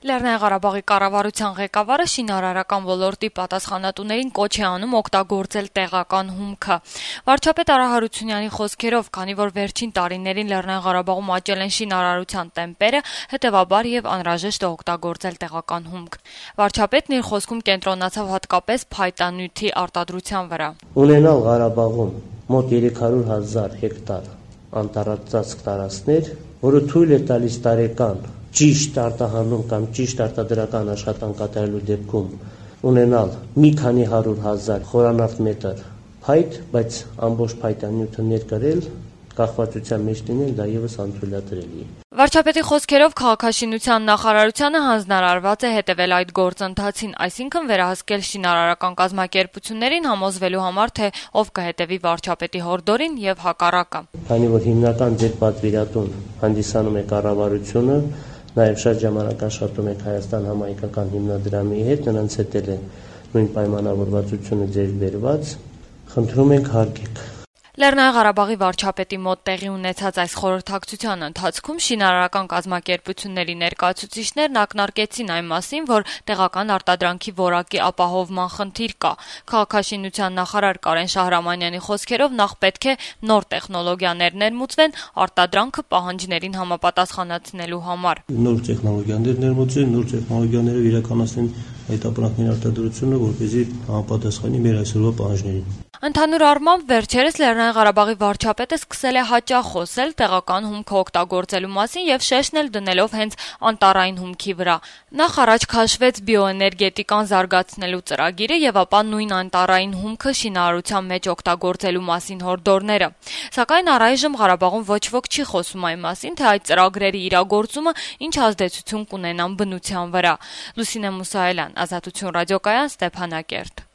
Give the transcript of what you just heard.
Լեռնային Ղարաբաղի կառավարության ղեկավարը շինարարական ոլորտի պատասխանատուներին կոչ է անում օգտագործել տեղական հումքը։ Վարչապետ Արա Հարությունյանի խոսքերով, քանի որ վերջին տարիներին Լեռնային Ղարաբաղում աճել են շինարարության տեմպերը, հետևաբար եւ անհրաժեշտ է օգտագործել տեղական հումք։ Վարչապետն իր խոսքում կենտրոնացավ հատկապես փայտանյութի արտադրության վրա։ Ունենալ Ղարաբաղում մոտ 300,000 հեկտար անտառածածկ տարածքներ, որը թույլ է տալիս տարեկան ճիշտ արտահանում կամ ճիշտ արտադրական աշխատանք կատարելու դեպքում ունենալ մի քանի 100,000 խորանարդ մետր փայտ, բայց ամբողջ փայտանյութը ներկրել, կախվածության մեջ լինել, դա եւս անթույլատրելի է։ Վարչապետի խոսքերով քաղաքաշինության նախարարությանը հանձնարարված է հետևել այդ գործընթացին, այսինքն վերահսկել շինարարական կազմակերպություններին, համոզվելու համար, թե ով կհետևի վարչապետի հորդորին եւ հակառակը։ Քանի որ հիմնական ձեր պատվիրատուն հանդիսանում է կառավարությունը, նաև շատ ժամանակ աշխատում եք Հայաստան համահայկական հիմնադրամի հետ, նրանց հետ էլ է նույն պայմանավորվածությունը ձեր բերված, խնդրում ենք հարգեք։ Լեռնային Ղարաբաղի վարչապետի մոտ տեղի ունեցած այս խորհրդակցության ընթացքում շինարարական կազմակերպությունների ներկայացուցիչներն ակնարկեցին այն մասին, որ տեղական արտադրանքի որակի ապահովման խնդիր կա։ Քաղաքաշինության նախարար Կարեն Շահրամանյանի խոսքերով նախ պետք է նոր տեխնոլոգիաներ ներմուծվեն արտադրանքը պահանջներին համապատասխանեցնելու համար։ Նոր տեխնոլոգիաներ ներմուծեն, նոր տեխնոլոգիաներով իրականացնեն այդ ապրանքների արտադրությունը, որպեսզի համապատասխանի մեր այսօրվա պահանջներին։ Ընդհանուր առմամբ վերջերս Լեռնային Ղարաբաղի վարչապետը սկսել է հաճախ խոսել տեղական հումքը օգտագործելու մասին եւ շեշտն էլ դնելով հենց անտառային հումքի վրա։ Նախ առաջ քաշվեց բիոէներգետիկան զարգացնելու ծրագիրը եւ ապա նույն անտառային հումքը շինարարության մեջ օգտագործելու մասին հորդորները։ Սակայն առայժմ Ղարաբաղում ոչ ոք չի խոսում այն մասին, թե այդ ծրագրերի իրագործումը ինչ ազդեցություն կունենան բնության վրա։ Լուսինե Մուսայելյան, Ազատություն ռադիոկայան, Ստեփանակերտ։